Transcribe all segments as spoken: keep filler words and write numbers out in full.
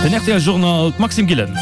Den rtl Journal, d'Maxime Gillen.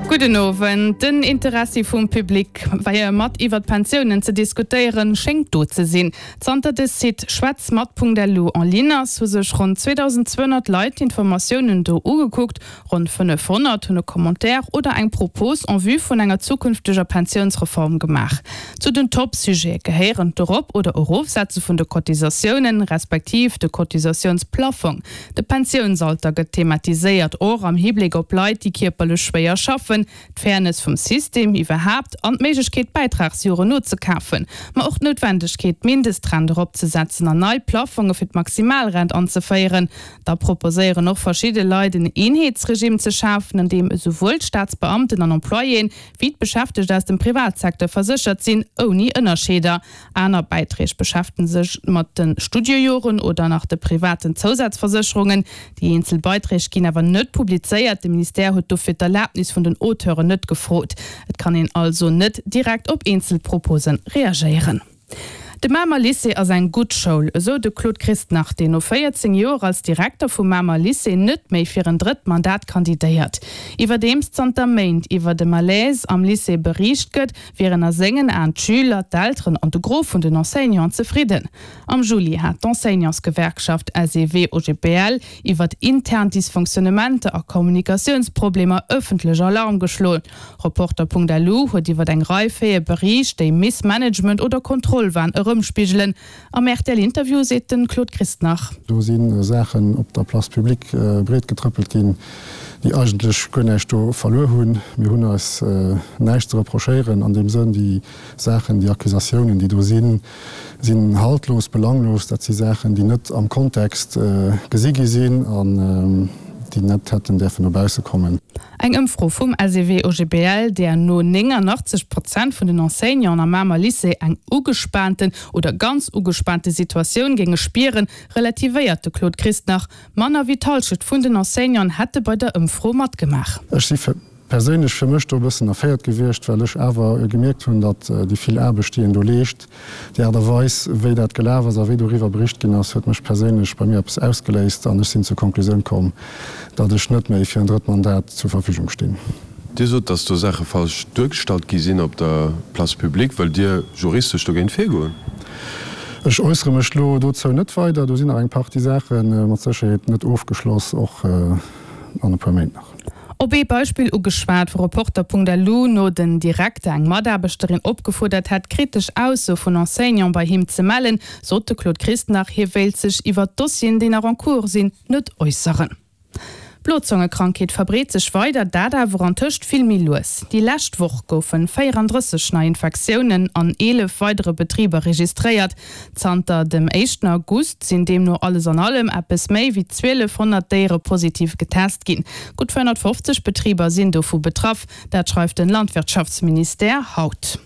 Gudden Owend. Den Interessi vum Public, fir mat iwwer d'Pensiounen ze diskutéieren, schéngt do ze sinn. Zanter de Site schwätzmat.lu en ligne ass, hu sech ronn zweedausendzweehonnert Leit d'Informatiounen do ugekuckt. Ronn fënnefhonnert hunn e Commentaire oder eng Propos en vue vun enger zukünfteger Pensiounsreform gemaach. Zu den Top-Sujete gehéieren d'Erop oder Erofsetze vun de Cotisatiounen, respektiv de Cotisatiounsplafong. De Pensiounsalter gëtt thematiséiert, och am Hibléck op Leit, déi kierperlech schwéier schaffen, d'Fairness vum System iwwerhaapt an d'Méiglechkeet, Bäitragsjoren nozekafen, ma och d'Noutwendegkeet, d'Mindestrent eropzesetzen an nei Plafonge fir d'Maximalrent anzeféieren. Da proposéieren och verschidde Leit, en Eenheetsregime ze schafen, an deem esouwuel d'Staatsbeamten an Employéen wéi d'Beschäftegt aus dem Privatsecteur verséchert sinn, ouni Ënnerscheeder. Aner Bäiträg beschäftege sech mat de Studiejoren oder nach de privaten Zousazversécherungen. Déi eenzel Beiträg ginn awer net publizéiert, de Ministère huet dofir d'Erlabnis vun den Auteuren net gefrot. Et kann een also net direkt op eenzel Propose reagéieren. De Mamer Lycée ass eng gutt Schoul, esou de Claude Christnach, deen no véierzéng Joer als Direkter vum Mamer Lycée net méi fir en drëtt Mandat kandidéiert. Iwwerdeems zanter Méint iwwer de Malaise am Lycée beriicht gëtt, wieren a sengen Aen d'Schüler, d'Elteren an de Gros vun den Enseignanten zefridden. Am Juli hat d'Enseignantsgewerkschaft S E W O G B L iwwert intern Dysfonctionnementer a Kommunikatiounsproblemer ëffentlech Alarm geschloen. Reporter Punkt L U huet iwwer eng Rei Faite beriicht, déi Missmanagement oder Kontrollwahn erëmspigelen. Am R T L-Interview seet de Claude Christnach. Do si Saachen op der Place publique breetgetrëppelt ginn, déi eigentlech guer näischt do verluer hunn. Mir hunn eis näischt ze reprochéieren an deem Sënn. Déi Saachen, déi Accusatiounen, déi do sinn, sinn haltlos, belanglos. Dat si Saachen, déi net am Kontext gesi gi sinn an déi net hätten däerfen no bausse kommen. Eng Ëmfro vum S E W O G B L, där no néngannachtzeg Prozent vun den Enseignanten am Mamer Lycée eng ugespaanten oder ganz ugespaante Situatioun géinge spieren, relativéiert de Claude Christnach. Manner wéi d'Hallschent vun den Enseignanten hätte bei der Ëmfro matgemaach. Ech si perséinlech fir mech do e bëssen erféiert gewiescht, well ech awer gemierkt hunn, datt déi vill Aarbecht, déi een do leescht, déi Aart a Weis, wéi dat gelaf ass a wéi doriwwer bericht ginn ass, huet mech perséinlech bei mir eppes ausgeléist an ech sinn zur Konklusioun komm, datt ech net méi fir en drëtt Mandat zur Verfügung stinn. Dir sot, datt do Saache falsch duergestallt gi sinn op der Place publique. Wëllt Dir juristesch dogéint virgoen? Ech äussere mech elo dozou net weider. Do sinn nach eng Partie Saache mat Sécherheet net ofgeschloss, och an e puer Méint nach. Op ee Beispill ugeschwat, wou Reporter Punkt L U no den Direkter eng Mataarbechterin opgefuerdert hätt, kritesch Aussoe vun Enseignante bei him ze mellen, sot de Claude Christnach, hie wéilt sech iwwer d'Dossieren, déi nach en cours sinn, net äusseren. D'Blozongekrankheet verbreet sech weider, dat awer antëscht vill méi lues. Déi lescht Woch goufe véierandrësseg nei Infektiounen an eelef weidere Betriber registréiert. Zanter dem éischten August sinn deemno alles an allem eppes méi wéi zwielefhonnert Déiere positiv getest ginn. Gutt véierhonnertfofzeg Betriber sinn dovu betraff, dat schreift de Landwirtschaftsministère haut.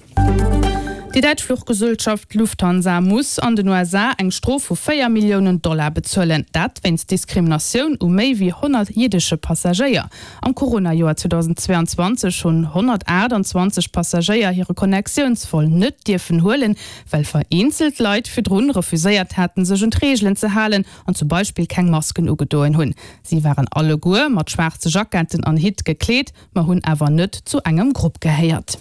Déi däitsch Fluchgesellschaft Lufthansa muss an den U S A eng Strof vu véier Milliounen Dollar bezuelen. Dat wéinst Diskriminatioun u méi wéi honnert jiddesche Passagéier. Am Corona-Joer zweedausendzweeanzwanzeg hunn honnertaachtanzwanzeg Passagéier hire Connectiounsvol net dierfen huelen, well vereenzelt Leit virdrun refuséiert haten, sech un d'Reegelen ze halen an zum Beispill keng Masken ugedoen hunn. Si waren alleguer mat schwaarze Jacketten an Hitt gekleet, ma hunn awer net zu engem Grupp gehéiert.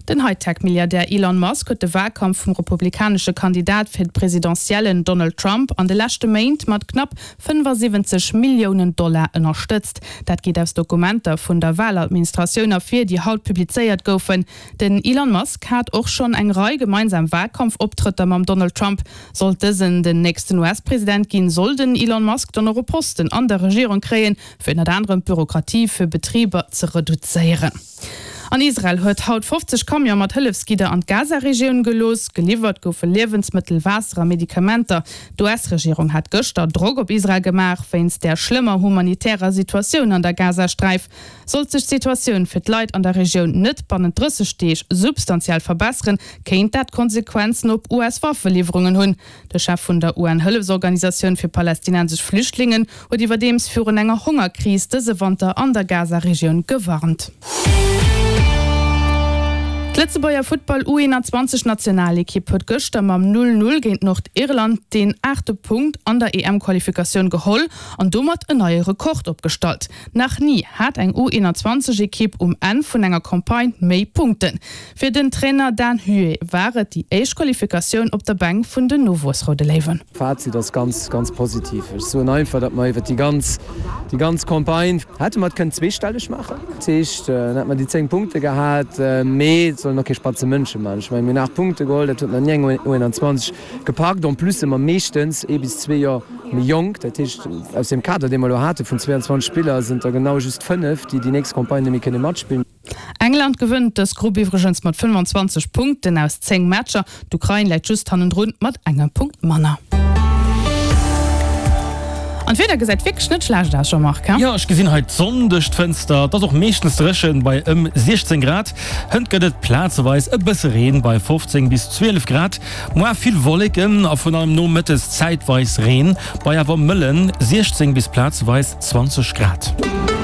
Den Hightech-Milliardär Elon Musk huet de Walkampf vum republikanesche Kandidat fir d'Presidentiellen Donald Trump an de leschte Méint mat knapp fënnefasiwwenzeg Milliounen Dollar ënnerstëtzt. Dat geet aus Dokumenter vun der Waladministratioun ervir, déi haut publizéiert goufen. Den Elon Musk hat och schonn eng Rei gemeinsam Walkampfoptrëtter mam Donald Trump. Sollt dësen den nächsten U S-President ginn, soll den Elon Musk dann och e Posten an der Regierung kréien, fir ënnert anerem d'Bürokratie fir Betriber ze reduzéieren. An Israel huet haut fofzeg Camione mat Hëllefsgidder an d'Gaza-Regioun gelooss. Geliwwert goufe Liewensmëttel, Waasser a Medikamenter. D'U S-Regierung hat gëschter Drock op Israel gemaach wéinst der schlëmmer humanitärer Situatioun an der Gazasträif. Sollt sech d'Situatioun fir d'Leit an der Regioun net bannent drësseg Deeg substantiell verbesseren, kéint dat Konsequenzen op U S-Waffeliwwerungen hunn. De Chef vun der U N-Hëllefsorganisatioun fir palästinensesch Flüchtlingen huet iwwerdeems virun enger Hongerkris dëse Wanter an der Gaza-Regioun gewarnt. D'Lëtzebuerger Futtball U einundzwanzeg Nationalekipp huet gëschter mam Null Null géint Nordirland deen aachte Punkt an der E M-Qualifikatioun geholl an domat en neie Rekord opgestallt. Nach ni hat eng U einundzwanzeg Ekipp um Enn vun enger Campagne méi Punkten. Fir den Trainer Dan Huet war et déi éischt Qualifikatioun op der Bänk vun den Nowuessroude Léiwen. Fazit ass ganz, ganz positiv. Ech soen einfach, datt mer iwwer déi ganz, déi ganz Campagne hätte mer et kënnen zweestelleg maachen. Dat heescht, dann hätte mer déi zéng Punkte gehat, mee et sollen och kee spatze Mënsche maachen. Ech mengen, mir hunn aacht Punkte geholl, dat huet nach ni eng U einundzwanzeg gepackt. En plus si mer meeschtens ee bis zwee Joer méi jonk. Dat heescht, aus deem Kader, dee mer elo hate vun zweiundzwanzeg Spiller, sinn der genau just fënnef, déi déi nächst Campagne net méi kënne matspillen. England gewënnt dës Grupp iwwregens mat fënnefanzwanzeg Punkten aus zéng Matcher. D'Ukrain läit just hannendrun mat engem Punkt manner. An d'Wieder gesäit wierklech net schlecht aus, Jean-Marc, he? Jo, ech gesinn hei d'Sonn duerch d'Fënster. Et ass och meeschtens dréchen bei ëm siechzéng Grad. Hënt gëtt et plazeweis e bësse Reen bei fofzéng bis zwielef Grad. Moar vill Wolleken a vun allem nomëttes zäitweis Reen bei awer mëllen siechzéng bis plazeweis zwanzeg Grad.